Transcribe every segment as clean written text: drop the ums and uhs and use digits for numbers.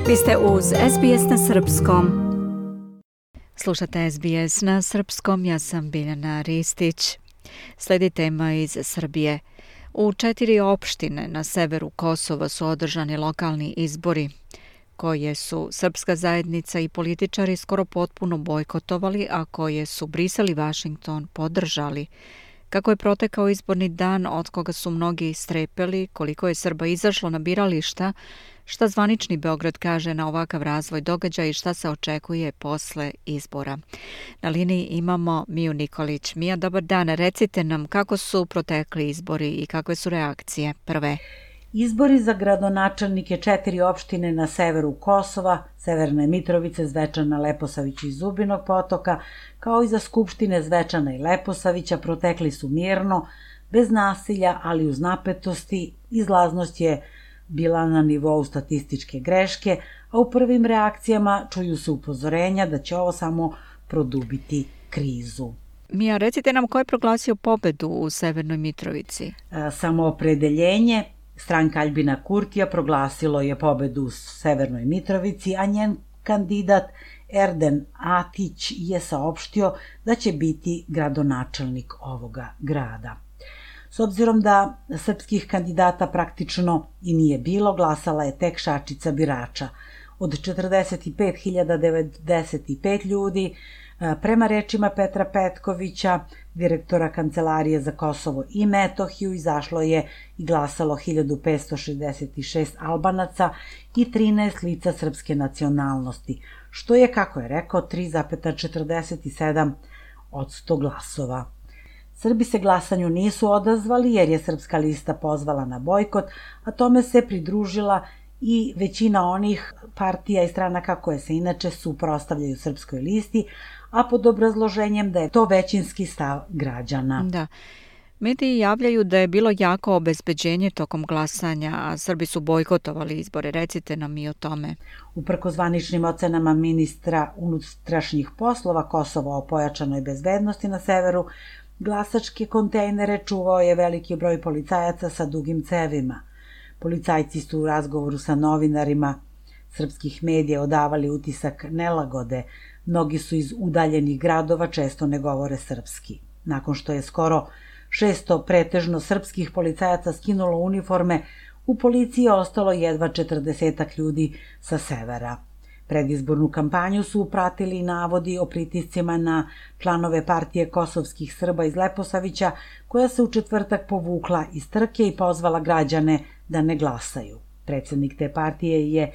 Vi ste uz SBS na Srpskom. Slušate SBS na Srpskom, ja sam Biljana Ristić. Slijedi tema iz Srbije. U 4 opštine na severu Kosova su održani lokalni izbori, koje su srpska zajednica i političari skoro potpuno bojkotovali, a koje su Brisel i Vašington podržali. Kako je protekao izborni dan, od koga su mnogi strepeli, koliko je Srba izašlo na birališta, šta zvanični Beograd kaže na ovakav razvoj događaja i šta se očekuje posle izbora. Na liniji imamo Miju Nikolić. Mija, dobar dan. Recite nam kako su protekli izbori i kakve su reakcije prve. Izbori za gradonačelnike 4 opštine na severu Kosova, Severne Mitrovice, Zvečana, Leposavića i Zubinog Potoka, kao i za skupštine Zvečana i Leposavića, protekli su mirno, bez nasilja, ali uz napetosti. Izlaznost je bila na nivou statističke greške, a u prvim reakcijama čuju se upozorenja da će ovo samo produbiti krizu. Mija, recite nam ko je proglasio pobedu u Severnoj Mitrovici? Samoopredeljenje stranka Aljbina Kurtija proglasilo je pobedu u Severnoj Mitrovici, a njen kandidat Erden Atić je saopštio da će biti gradonačelnik ovoga grada. S obzirom da srpskih kandidata praktično i nije bilo, glasala je tek šačica birača. Od 45.095 ljudi, prema rečima Petra Petkovića, direktora Kancelarije za Kosovo i Metohiju, izašlo je i glasalo 1566 Albanaca i 13 lica srpske nacionalnosti, što je, kako je rekao, 3,47% glasova. Srbi se glasanju nisu odazvali jer je Srpska lista pozvala na bojkot, a tome se pridružila i većina onih partija i stranaka koje se inače suprotstavljaju Srpskoj listi, a pod obrazloženjem da je to većinski stav građana. Da. Mediji javljaju da je bilo jako obezbeđenje tokom glasanja, a Srbi su bojkotovali izbore. Recite nam i o tome. Uprkos zvaničnim ocenama ministra unutrašnjih poslova Kosova o pojačanoj bezbednosti na severu, glasačke kontejnere čuvao je veliki broj policajaca sa dugim cevima. Policajci su u razgovoru sa novinarima srpskih medija odavali utisak nelagode. Mnogi su iz udaljenih gradova, često ne govore srpski. Nakon što je skoro 600 pretežno srpskih policajaca skinulo uniforme, u policiji je ostalo jedva 40 ljudi sa severa. Predizbornu kampanju su pratili navodi o pritiscima na članove partije kosovskih Srba iz Leposavića, koja se u četvrtak povukla iz trke i pozvala građane da ne glasaju. Predsjednik te partije je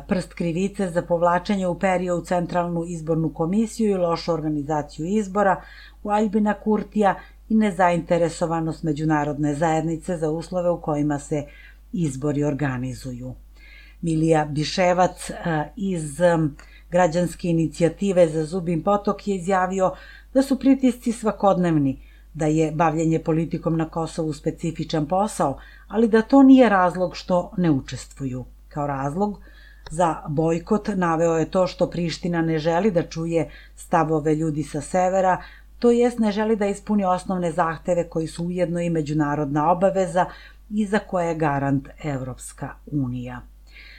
prst krivice za povlačenje uperio u Centralnu izbornu komisiju i lošu organizaciju izbora u Aljbina Kurtija i nezainteresovanost međunarodne zajednice za uslove u kojima se izbori organizuju. Milija Biševac iz građanske inicijative za Zubin Potok je izjavio da su pritisci svakodnevni, da je bavljenje politikom na Kosovu specifičan posao, ali da to nije razlog što ne učestvuju. Kao razlog za bojkot naveo je to što Priština ne želi da čuje stavove ljudi sa severa, to jest ne želi da ispuni osnovne zahteve koji su ujedno i međunarodna obaveza i za koje je garant Evropska unija.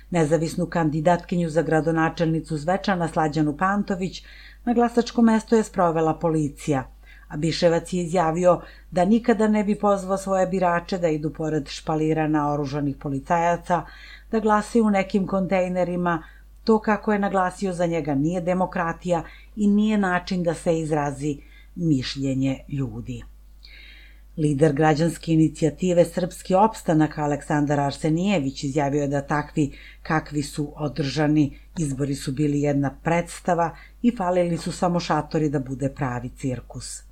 Nezavisnu kandidatkinju za gradonačelnicu Zvečana Slađanu Pantović na glasačko mesto je sprovela policija, a Biševac je izjavio da nikada ne bi pozvao svoje birače da idu pored špalira naoružanih policajaca, da glasaju u nekim kontejnerima. To, kako je naglasio, za njega nije demokratija i nije način da se izrazi mišljenje ljudi. Lider građanske inicijative Srpski opstanak Aleksandar Arsenijević izjavio je da takvi kakvi su održani izbori su bili jedna predstava i falili su samo šatori da bude pravi cirkus.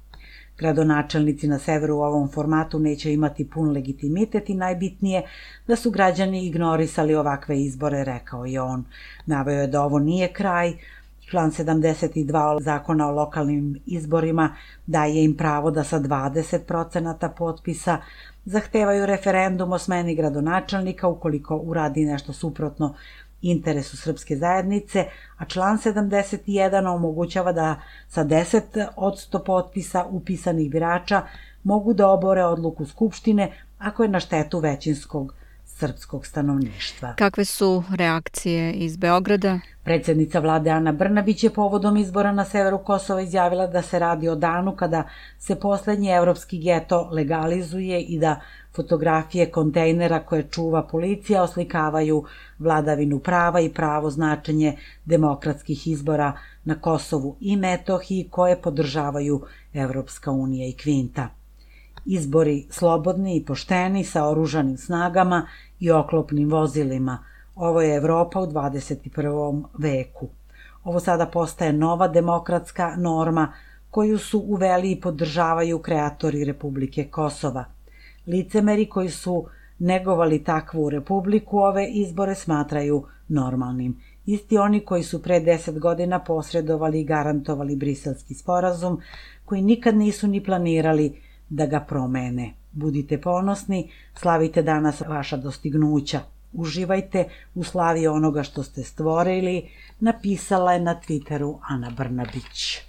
Gradonačelnici na severu u ovom formatu neće imati pun legitimitet i najbitnije da su građani ignorisali ovakve izbore, rekao je on. Naveo je da ovo nije kraj. Član 72 Zakona o lokalnim izborima daje im pravo da sa 20% potpisa zahtevaju referendum o smeni gradonačelnika ukoliko uradi nešto suprotno interesu srpske zajednice, a član 71 omogućava da sa 10% potpisa upisanih birača mogu da obore odluku Skupštine ako je na štetu većinskog srpskog stanovništva. Kakve su reakcije iz Beograda? Predsjednica vlade Ana Brnabić je povodom izbora na severu Kosova izjavila da se radi o danu kada se poslednji evropski geto legalizuje i da fotografije kontejnera koje čuva policija oslikavaju vladavinu prava i pravo značenje demokratskih izbora na Kosovu i Metohiji koje podržavaju Evropska unija i Kvinta. Izbori slobodni i pošteni sa oružanim snagama i oklopnim vozilima. Ovo je Evropa u 21. veku. Ovo sada postaje nova demokratska norma koju su uveli i podržavaju kreatori Republike Kosova. Licemeri koji su negovali takvu republiku ove izbore smatraju normalnim. Isti oni koji su pre 10 godina posredovali i garantovali Briselski sporazum, koji nikad nisu ni planirali da ga promene. Budite ponosni, slavite danas vaša dostignuća. Uživajte u slavi onoga što ste stvorili, napisala je na Twitteru Ana Brnabić.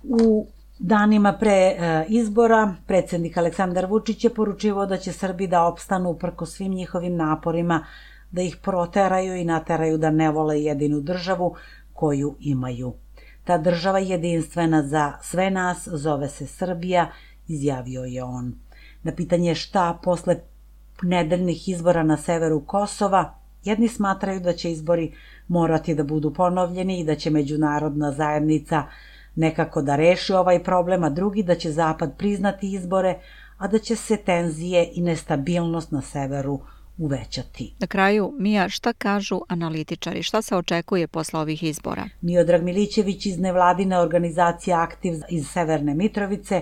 U danima pre izbora predsjednik Aleksandar Vučić je poručivao da će Srbi da opstanu uprkos svim njihovim naporima, da ih proteraju i nateraju da ne vole jedinu državu koju imaju. Ta država jedinstvena za sve nas zove se Srbija, izjavio je on. Na pitanje šta posle nedeljnih izbora na severu Kosova, jedni smatraju da će izbori morati da budu ponovljeni i da će međunarodna zajednica nekako da reši ovaj problem, a drugi da će Zapad priznati izbore, a da će se tenzije i nestabilnost na severu uvećati. Na kraju, Mija, šta kažu analitičari? Šta se očekuje posle ovih izbora? Miodrag Milićević iz nevladine organizacije Aktiv iz Severne Mitrovice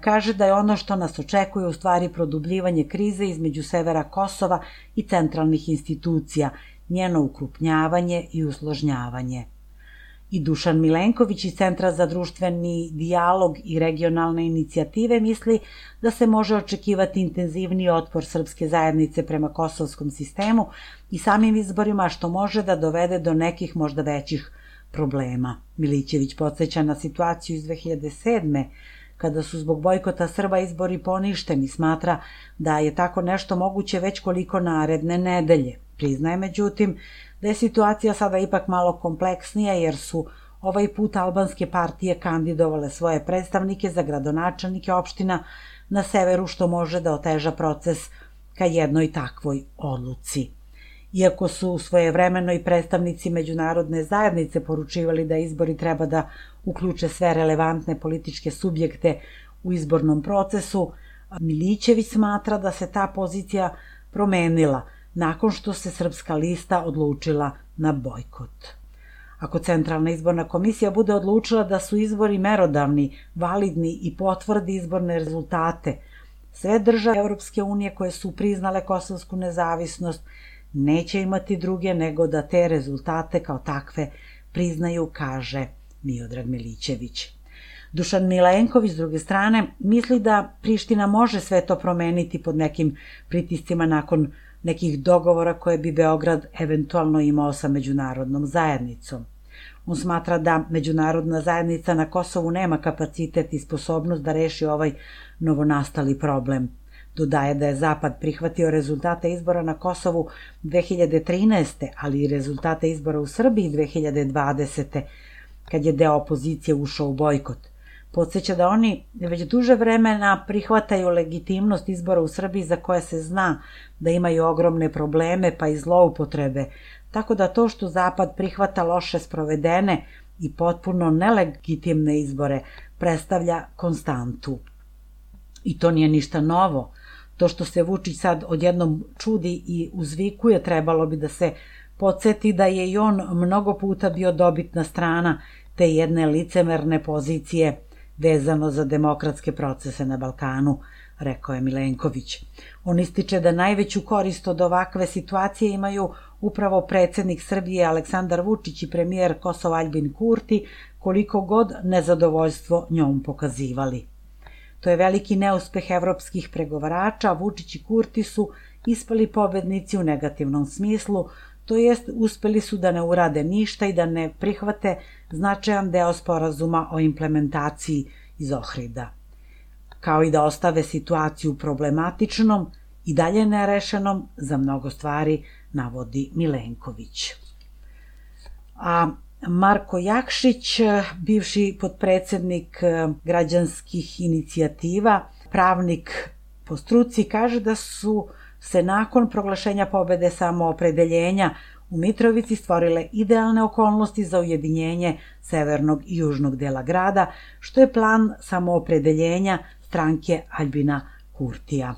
kaže da je ono što nas očekuje u stvari produbljivanje krize između severa Kosova i centralnih institucija, njeno ukrupnjavanje i usložnjavanje. I Dušan Milenković iz Centra za društveni dijalog i regionalne inicijative misli da se može očekivati intenzivniji otpor srpske zajednice prema kosovskom sistemu i samim izborima, što može da dovede do nekih možda većih problema. Milićević podsjeća na situaciju iz 2007. kada su zbog bojkota Srba izbori poništeni, smatra da je tako nešto moguće već koliko naredne nedelje. Priznaje, međutim, da je situacija sada ipak malo kompleksnija jer su ovaj put albanske partije kandidovale svoje predstavnike za gradonačelnike opština na severu, što može da oteža proces ka jednoj takvoj odluci. Iako su svojevremeno i predstavnici međunarodne zajednice poručivali da izbori treba da uključe sve relevantne političke subjekte u izbornom procesu, Milićević smatra da se ta pozicija promenila nakon što se Srpska lista odlučila na bojkot. Ako Centralna izborna komisija bude odlučila da su izbori merodavni, validni i potvrdi izborne rezultate, sve države Evropske unije koje su priznale kosovsku nezavisnost neće imati druge nego da te rezultate kao takve priznaju, kaže Miodrag Milićević. Dušan Milenković, s druge strane, misli da Priština može sve to promeniti pod nekim pritiscima nakon nekih dogovora koje bi Beograd eventualno imao sa međunarodnom zajednicom. On smatra da međunarodna zajednica na Kosovu nema kapacitet i sposobnost da reši ovaj novonastali problem. Dodaje da je Zapad prihvatio rezultate izbora na Kosovu 2013. ali i rezultate izbora u Srbiji 2020. kad je deo opozicije ušao u bojkot. Podsjeća da oni već duže vremena prihvataju legitimnost izbora u Srbiji za koje se zna da imaju ogromne probleme pa i zloupotrebe, tako da to što Zapad prihvata loše sprovedene i potpuno nelegitimne izbore predstavlja konstantu. I to nije ništa novo. To što se Vučić sad odjednom čudi i uzvikuje, trebalo bi da se podsjeti da je i on mnogo puta bio dobitna strana te jedne licemerne pozicije vezano za demokratske procese na Balkanu, rekao je Milenković. On ističe da najveću korist od ovakve situacije imaju upravo predsjednik Srbije Aleksandar Vučić i premijer Kosova Aljbin Kurti, koliko god nezadovoljstvo njom pokazivali. To je veliki neuspeh evropskih pregovarača, Vučić i Kurti su ispali pobednici u negativnom smislu, to jest uspeli su da ne urade ništa i da ne prihvate značajan deo sporazuma o implementaciji iz Ohrida, kao i da ostave situaciju problematičnom i dalje nerešenom za mnogo stvari, navodi Milenković. A Marko Jakšić, bivši potpredsednik građanskih inicijativa, pravnik po struci, kaže da su se nakon proglašenja pobede samoopredeljenja u Mitrovici stvorile idealne okolnosti za ujedinjenje severnog i južnog dela grada, što je plan samoopredeljenja stranke Aljbina Kurtija.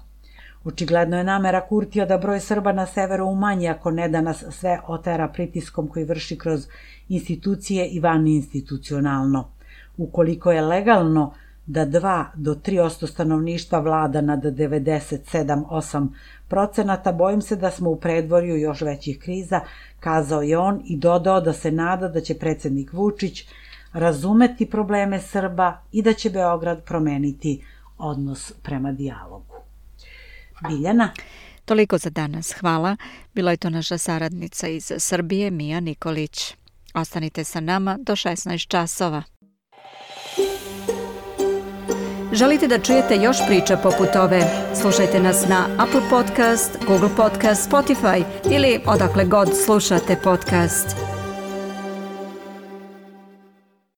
Očigledno je namera Kurtija da broj Srba na severu umanji, ako ne da nas sve otera pritiskom koji vrši kroz institucije i vaninstitucionalno. Ukoliko je legalno da 2 do 3% stanovništva vlada nad 97-8%, bojim se da smo u predvorju još većih kriza, kazao je on i dodao da se nada da će predsednik Vučić razumeti probleme Srba i da će Beograd promeniti odnos prema dijalogu. Biljana? Toliko za danas, hvala. Bila je to naša saradnica iz Srbije, Mija Nikolić. Ostanite sa nama do 16 časova. Želite da čujete još priča poput ove? Slušajte nas na Apple Podcast, Google Podcast, Spotify ili odakle god slušate podcast.